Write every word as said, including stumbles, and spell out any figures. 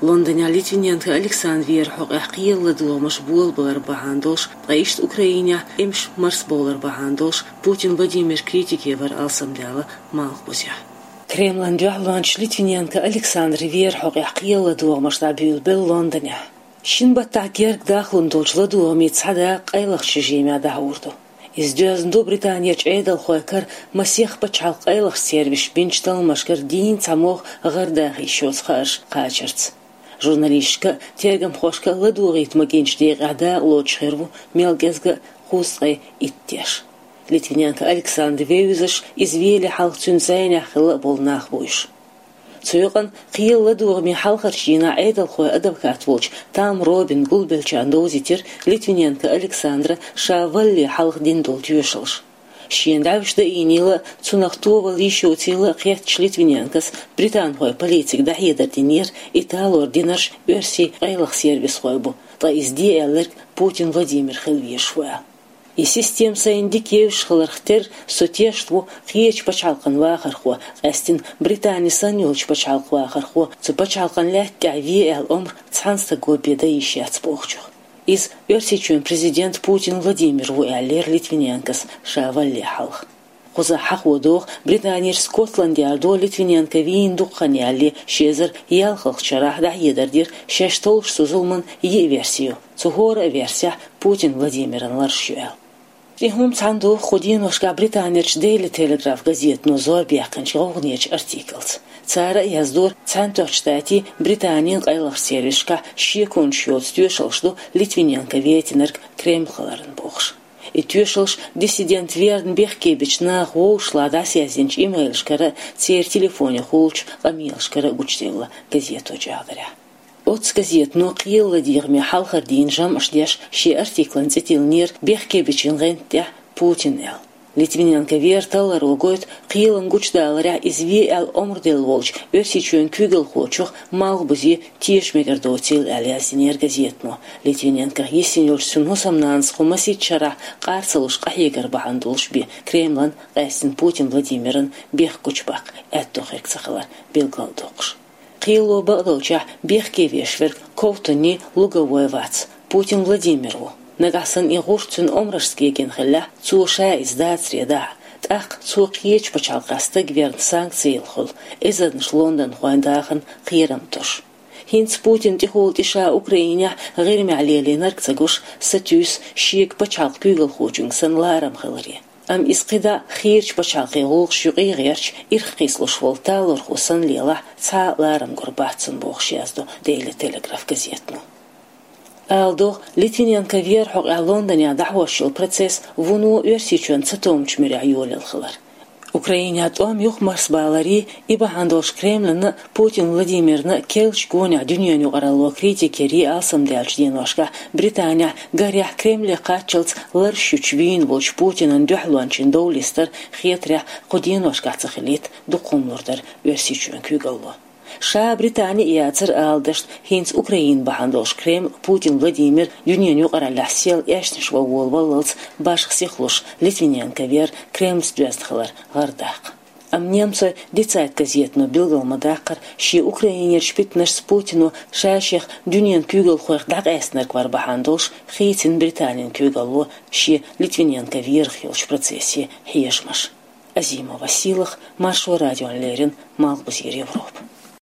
Лондонехь Литвиненко Александр вер хьокъехь кхелан ладугӀамаш болабалар бахьана долуш, ткъа иштта Украинехь эмш марсбовлар бахьана долуш Путин Владимир критике вар алсамдаьлла Малхбузехь. Кремлан дуьхьалончаша Литвиненко Александр вер хьокъехь кхелан ладугӀамаш дӀабуьйлабелла Лондонехь. Шина баттахь герга дахлун долчу ладугӀаме цхьа дакъа къайлахчу режимехь дӀахьур ду. Иза доьзна ду Британерчу Ӏедалхойн кара масех пачхьалкхан къайлахчу сервисаша бинчу талламашкара дийна цхьа могӀа гӀардаха йиш йоцу хаарш кхачарца. Журналисташка а, тергамхошка а ладугӀийта магийначу декъехь дакъа лоцуш хир ву мел кӀезга а кхузткъе итт теш. Литвиненко Александр вевзаш, иза веле хьалха цуьнан зӀенехь хилла а болу нах бу уьш. Цу юкъана кхелан ладугӀаме хьалхарчу дийнахь Ӏедалхойн адвокат волчу Там Робин гулбеллачарна довзийтира Литвиненко Александра ша валале хьалха дина долу тоьшаллаш. Шена дӀаьвша даийнийла а, цунах товалла йиш йоцийла а кхеттачу Литвиненкос британхойн полицига дӀахьедар динера, и талор динарш оьрсийн къайлаха сервисхой бу, ткъа иза де аьлларг Путин Владимир хила везаш ву аьлла. И система сайна дика евзаш хиларх терра, со тешна ву кхечу пачхьалкхан вахархо, къаьстина Британи санна йолчу пачхьалкхан вахархо, цу пачхьалкхан лаьтта тӀехь ве аьлла омра цхьана стага бен дан йиш яц бохучух. Иза Оьрсийчоьнан президент Путин Владимир ву аьллера Литвиненкос ша валале хьалха. Кхузахь хьахо доху, Британера Скотланд-Ярдо Литвиненко вийна дукха хан ялале, ши эзар ялхалгӀачу шарахь дӀахьедар дира, шаьш толлуш цу зуламан йиъ верси ю. Цу хӀора а версехь Путин Владимиран лараш ю аьлла. И хӀума цхьаьна ду кху деношкахь Британерчу Daily Telegraph газетано зорбаьккхинчу гӀовгӀанечу артиклаца. Цара а яздора, Цхьаьнатоьхначу Штатийн, Британин къайлахчу сервисашкахь шеконаш йоцу тоьшаллаш ду Литвиненко вецнарг Кремль хиларна бохуш. И тоьшаллаш диссидент верна бехке бича наха вовшашлахь дӀасаязйинчу имейлашкара а, церан телефонехула йолчу къамелашкара а гучуделла газето чӀагӀдарехь. Оццу газетано кхелан ладегӀаме хьалхара дийна жамӀаш деш шен артиклан цӀе тиллинера «Бехке бичун гӀанта тӀехь Путин» аьлла. Литвиненко вер талларо гойту кхелан гучудаларехь иза ве аьлла омра делла волчу Оьрсийчоьнан куьйгалхочух Малхбузе теша мегар доцийла аьлла, яздинера газетано. Литвиненкох йисина йолчу цуьнан хӀусамнанас кху масийтта шарахь къар ца луш къахьегар бахьана долуш бен Кремлан, къаьстина Путин Владимиран бехк гучубаккха аьтто хирг ца хилар билгалдоккхуш. Кхело бакъдолчехь бехке веш верг Ковтунний Луговой вац, Путин Владимир ву. Нагахь санна и гӀурт цуьнан омрашца гегина хиллехь, цо ша иза дацаре дахьа, тӀаккха цо кхечу пачхьалкхехь стаг верна санкци йилла хуьлу, эзарнаш лондонхойн дахарна кхерам тосуш. ХӀинца Путина тӀехула тӀе ша Украинехь ГӀирмехь лелийнарг ца гуш, сатуьйсу шега пачхьалкхан куьйгалхочуьнга санна ларам хиларе. Амма иза кхидӀа а хийрачу пачхьалкхийн гӀуллакхаш юкъе гӀерташ, ирх кхийсалуш волу талорхо санна лелахь, цхьа а ларам гур бац цунна бохуш яздо Daily Telegraph газетано. Ала догӀу, Литвиненко вер хьокъехь Лондонехь дӀахьош йолу процесс вуно Оьрсийчоьнан цатоьхначу муьрехь йолаелла хилар. Украинехь тӀом юхамарсабаларий, и бахьана долуш Кремлана а, Путин Владимирна а керлачу гонехь дуьненан юкъаралло критика ярий алсамдаьллачу деношкахь Британехь, гарехь, Кремле кхаччалц ларш ючу вийна волчу Путинан дуьхьалончийн довлестар хетарехь кху деношкахь ца хилийта дукха хӀума лур дара Оьрсийчоьнан куьйгалло. Ша Британи а яцара ала дашна, хӀинца Украина бахьана долуш Кремль Путин Владимир дуьненан юкъараллехь сел эшнаш ван волаваллалц башха сихлуш Литвиненко вер Кремльца доьзна хилар гӀардаккха. Амма немцойн Die Zeit газетано билгал ма-даккхара, шен Украинерчу питанашца Путино ша-шех дуьненан куьйгалхойх дӀакъаьстинарг вар бахьана долуш хийцина Британин куьйгалло шен Литвиненко верах йолчу процессе хьежамаш. Азимова Сийлаха, Маршо радиона леррина, Малхбузера Европа.